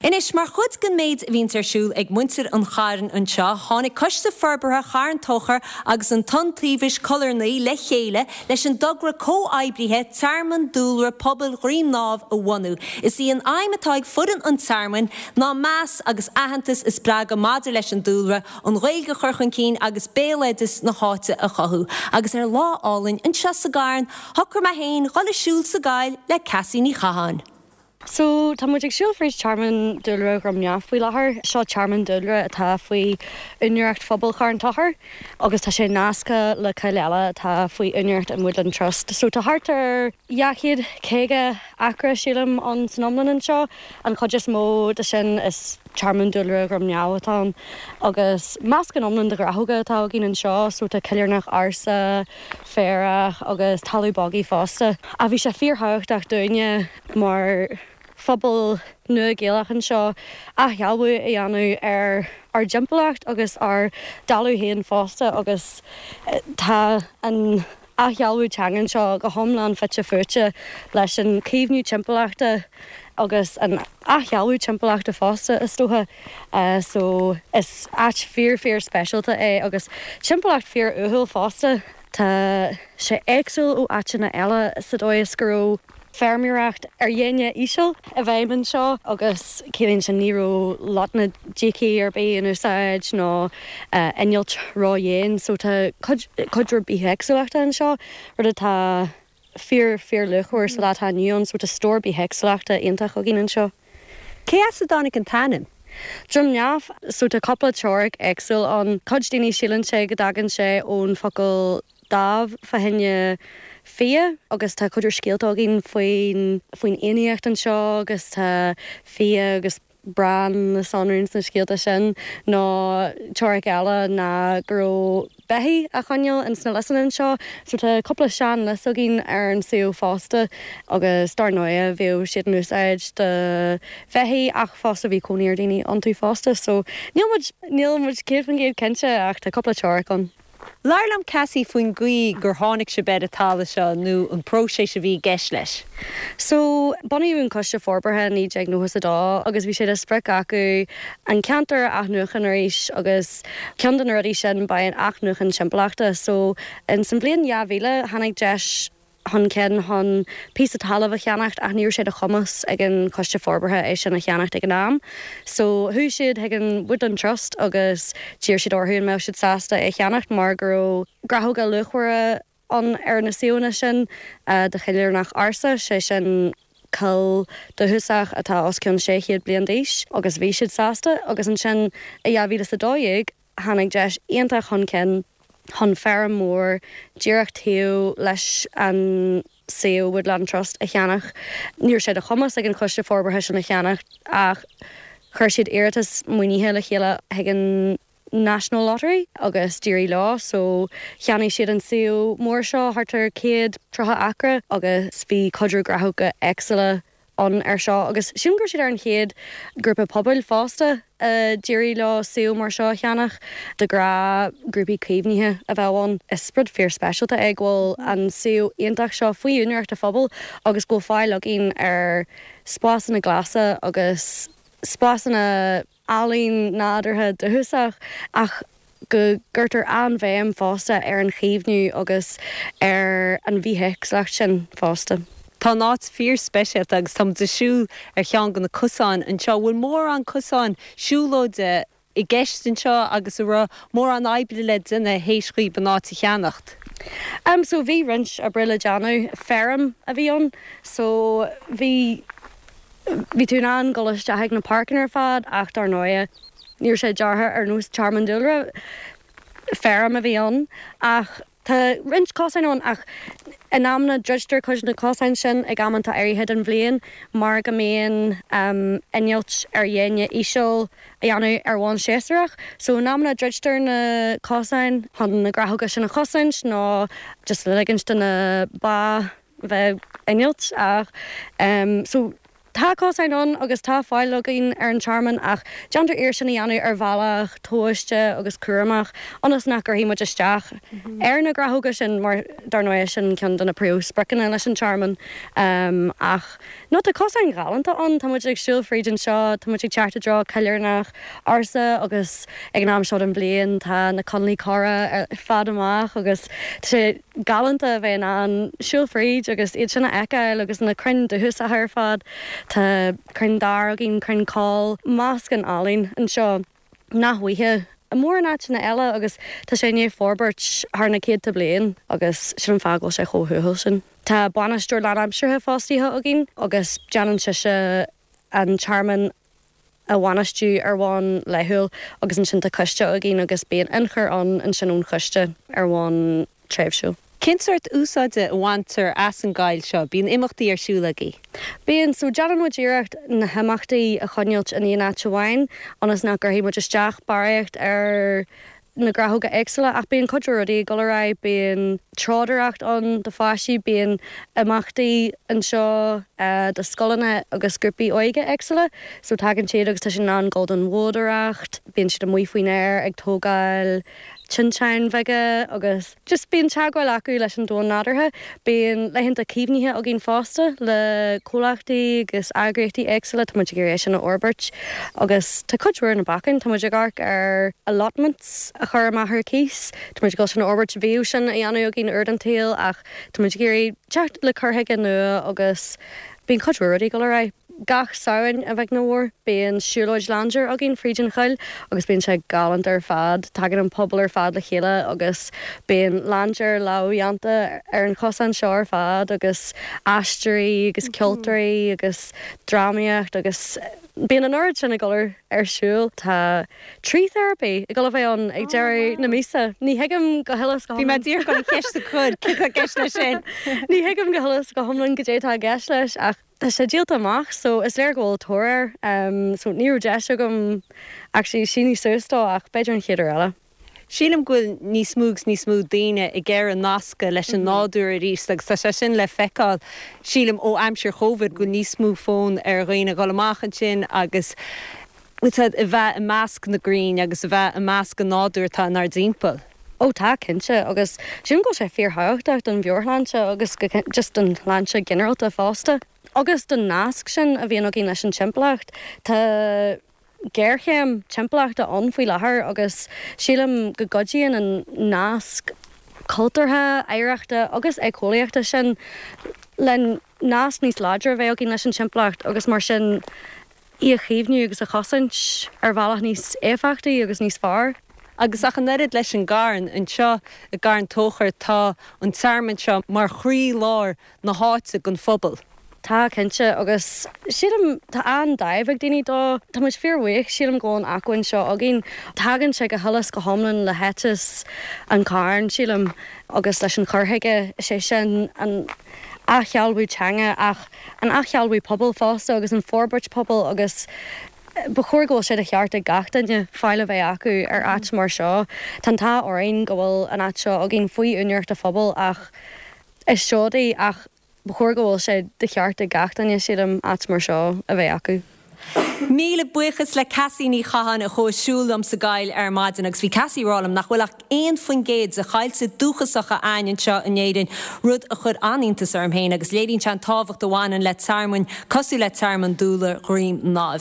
Anois, mar chuid den méid a bhíonns ar siúl ag muintir an Chairn anseo, tháinig Coiste Forbartha Charn Tóchair agus an tIontaobhas Coillearnaí le chéile leis an dtogra comhoibrithe Tearmann Dúlra Pobail Dhroim nDamh a bhunú. Is í an aidhm atá ag foireann an Tearmainn ná meas agus aitheantas a spreagadh maidir leis an dúlra, an Ghaeilge a chur chun cinn agus béaloideas na háite a chothú. Agus ar lá álainn anseo sa gCarn, shocraigh mé féin dhul ag siúl sa gcoill le Cassie Ní Chatháin. So, tá muid ag siúl fríd Tearmann Dúlra Dhroim nDamh faoi láthair. Seo tearmann dúlra atá faoi úinéireacht phobal Charn Tóchair agus tá sé nasctha le coill eile atá faoi úinéireacht an Woodland Trust. So tá thart ar 250 acra, sílim, ann san iomlán anseo. An chuid is mó de sin is Tearmann Dúlra Dhroim nDamh atá ann agus meascán iomlán de ghnáthóga atá againn anseo. So tá coillearnach ársa, féarach agus talamh bogaigh fosta. Ach bhí sé fíorthábhachtach dúinne mar phobal nua Gaelach anseo athshealbhú a dhéanamh ar ár dtimpeallacht agus ár dtalamh féin fosta agus tá an athshealbhú teanga anseo go hiomlán fite fuaite leis an caomhnú timpeallachta agus an athshealbhú timpeallachta fosta is dócha. So is áit fíor fíor speisialta é agus timpeallacht fíor uathúil fosta. Tá sé éagsúil ó áiteanna eile sa dóigh is go raibh feirmeoireacht ar dhéine íseal i bhfeidhm anseo agus ciallaíonn sin ní raibh lotnaidicídí ar bith in úsáid nó innilt ró-dhian so tá cuid cuid mhór bithéagsúlachta anseo, rud atá fíor fíor luachmhar sa lá atá inniu ann so tá stór bithéagsúlachta iontach againn anseo. Cé as a dtáinig an t-ainm? Droim nDamh, so tá cúpla teoiric éagsúil ann. Cuid daoine síleann sé go dtagann sé ón focal damh fá choinne fia agus tá cuid mhór scéalta againn faoin faoin fhiannaíocht anseo agus tá fia agus Bran le sonrú sna scéalta sin. Nó teoiric eile ná go raibh beithígh á choinneáil ins na liosanna anseo. So tá cúpla sean lios againn ar an suíomh fosta agus dar ndóighe bhíodh siad in úsáid do bheithígh ach fosta bhí cónaí ar daoine iontu fosta. So níl muid, níl muid 100% cinnte ach tá cúpla teoiric ann. Labhair liom, Cassie, faoin gcaoi gur tháinig sibh ar an talamh seo nó an próiseas a bhí i gceist leis. So, bunaíodh an Coiste Forbartha i 1992 agus bhí sé de sprioc acu an ceantar a athnuachan arís agus ceann de na rudaí sin ba ea an athnuachan timpeallachta. So, ins an bhliain 2000 tháinig deis chun cinn chun píosa talaimh a cheannacht ach ní raibh sé de chumas ag an Choiste Forbartha é sin a cheannacht ag an am. So chuaigh siad chuig an Woodland Trust agus d'iarr siad orthu an mbeadh siad sásta é a cheannacht mar go raibh gnáthóga luachmhara ann ar na suíomhanna sin de choillearnach ársa, sé sin coill dúchasach atá os cionn 600 bliain d'aois agus bhí siad sásta agus ansin i 2012 tháinig deis iontach chun cinn chun feirm mhór díreach taobh leis an suíomh Woodland Trust a cheannach. Ní raibh sé de chumas ag an Choiste Forbartha sin a cheannach ach chuir siad iarratas maoinithe le chéile chuig an National Lottery agus d'éirigh leo so cheannaigh siad an suíomh mór seo, thart ar 130 acra agus bhí cuid mhór gnáthóga éagsúla ann air seo agus sílim go raibh siad ar an chéad ghrúpa pobail fosta a d'éirigh leo suíomh mar seo a cheannach. De ghnáth grúpaí caomhnaithe a bheadh ann. Is rud fíor speisialta é go bhfuil an suíomh iontach seo faoi úinéireacht an phobail agus go bhfuil fáil againn ar spásanna glasa agus spásanna ealaín nádúrtha dúchasach ach go gcuirtear an-bhéim fosta ar an chaomhnú agus ar an bhithéagsúlacht sin fosta. Tá an áit fíor-speisialta agus tá muid ag siúl ar cheann de na cosáin anseo. An bhfuil mórán cosáin siúlóide i gceist anseo agus an raibh mórán oibre le déanamh théis dhaoib an áit a cheannacht? Em so bhí roinnt oibre le déanamh. Feirm a bhí ann so bhí Bhí tú in ann dul isteach ag na páirceanna ar fad ach dar ndóighe ní raibh sé deartha ar nós tearmann dúlra, feirm a bhí ann. Ach tá roinnt cosáin ann ach in amanna druidtear cuid de na cosáin sin ag amanta áirithe den bhliain mar go mbíonn innilt ar dhéine íseal a dhéanamh ar bhonn séasúrach. So in amanna druidtear na cosáin chun na gnáthóga sin a chosaint nó just le ligint do na ba bheith ag innilt ach so. Tá cosáin ann agus tá fáil againn ar an tearmann ach déantar iarracht sin a dhéanamh ar bhealach tomhaiste agus cúramach ionas nach gcuirfidh muid isteach ar na gnáthóga sin mar dar ndóigh sin ceann de na príomhspriocanna leis an tearmann. Ach no tá cosáin ghalánta ann, tá muid ag siúl fríd anseo, tá muid ag teacht i dtreo coillearnach ársa agus ag an am seo den bhliain tá na coinnlí corra ar fad amach agus tá sé galánta a bheith in ann siúl fríd agus iad sin a fheiceáil agus na crainn dúchasacha ar fad. Tá crainn dair againn, crainn coll, meascán álainn anseo nach bhfaighfeá i mórán áiteanna eile agus tá sé i ndiaidh forbairt thar na céadta bliain agus sin an fáth go bhfuil sé chomh huathúil sin. Tá bainisteoir lánaimseartha fostaithe againn agus déanann sise an tearmann a bhainistiú ar bhonn laethúil agus ansin tá coiste againn agus bíonn ionchur ann ansin ón choiste ar bhonn tréimhsiúil. Cén sórt úsáide a bhaintear as an gcoill seo? Bíonn imeachtaí ar siúl agaibh? Bíonn. So déanann muid iarracht na himeachtaí a choinneáilt in aon áit amháin ionas nach gcuirfidh muid isteach barraíocht ar na gnáthóga éagsúla ach bíonn cuid mhór rudaí ag dul ar aghaidh, bíonn treodóireacht ann do pháistí, bíonn imeachtaí anseo do scoileanna agus grúpaí óige éagsúla so tagann siad agus tá siad in ann dul don bhoghdóireacht, bíonn siad amuigh faoin aer ag tógáil tinteáin bheaga agus just bíonn teagmháil acu leis an domhan nádúrtha. Bíonn laethanta caomhnaithe againn fosta le comhlachtaí agus eagraíochtaí éagsúla, tá muid ag iarraidh é sin a fhorbairt agus tá cuid mhór ar na bacáin, tá muid ag amharc ar allotments a chur amach ar cíos, tá muid ag dul sin a fhorbairt, bhíodh sin á dhéanamh againn uair den tsaol ach tá muid ag iarraidh teacht le cur chuige nua agus bíonn cuid mhór rudaí ag dul ar aghaidh. Gach Samhain, a bheag nó a mhór, bíonn siúlóid laindéir againn fríd an choill agus bíonn sé galánta ar fad. Tagann an pobal ar fad le chéile agus bíonn laindéir lámhdhéanta ar an chosán seo ar fad agus aisteoirí agus ceoltóirí agus drámaíocht agus bíonn an oiread sin ag dul ar siúl. Tá tree therapy ag dul a bheith ann ag deireadh na míosa. Ní thuigim go huile is go hiomlán. Bhí mé díreach chun an cheist a chur, céard tá i gceist leis sin? Ní thuigim go huile is go hiomlán goidé atá i gceist leis ach. Tá sé díolta amach so is léir go bhfuil tóir air. So ní raibh deis agam actually síniú suas dó ach b'fhéidir an chéad uair eile. Sílim go bhfuil níos mó agus níos mó daoine ag iarraidh nascadh leis an nádúr arís agus tá sé sin le feiceáil, sílim, ó aimsir Chóivid, go bhfuil níos mó fonn ar dhaoine dhul amach ansin agus a bheith i measc na gcrainn agus a bheith i measc an nádúir atá inár dtimpeall. Ó tá, cinnte, agus sílim go bhfuil sé fíorthábhachtach don mheabhairshláinte agus just don shláinte ginearálta fosta. Agus don nasc sin a bhíonn againn leis an timpeallacht. Tá géarchéim timpeallachta ann faoi láthair agus sílim go gcuidíonn an nasc cultúrtha, oidhreachta agus éiceolaíochta sin le nasc níos láidre a bheith againn leis an timpeallacht agus mar sin í a chaomhnú agus a chosaint ar bhealach níos éifeachtaí agus níos fearr. Agus ach an oiread leis an gcarn, anseo i gCarn Tóchair tá an tearmann seo mar chroí-lár na háite don phobal. Tá, cinnte, agus sílim, tá an-dáimh ag daoine dó. Tá muid fíorbhuíoch, sílim, go bhfuil an acmhainn seo againn. Tagann sé go huile is go hiomlán le héiteas an Chairn, sílim, agus leis an chur chuige, is é sin an athshealbhú teanga ach an athshealbhú pobail fosta agus an forbairt pobail agus ba chóir go bhfuil sé de cheart ag gach duine fáil a bheith acu ar áit mar seo. Tá an t-ádh orainn go bhfuil an áit seo againn faoi úinéireacht an phobail ach is seoid í ach ba chóir go bhfuil sé de cheart ag gach duine, sílim, áit mar seo a bheith acu. Míle buíochas le Cassie Ní Chatháin a chuaigh siúl liom sa gcoill ar maidin agus bhí Cassie ag rá liom nach bhfuil ach 1% de choillte dúchasacha a'ainn anseo in Éirinn, rud a chuir an-iontas orm féin agus léiríonn sé an tábhacht a bhaineann le tearmainn cosúil le Tearmann Dúlra Dhroim Náibh.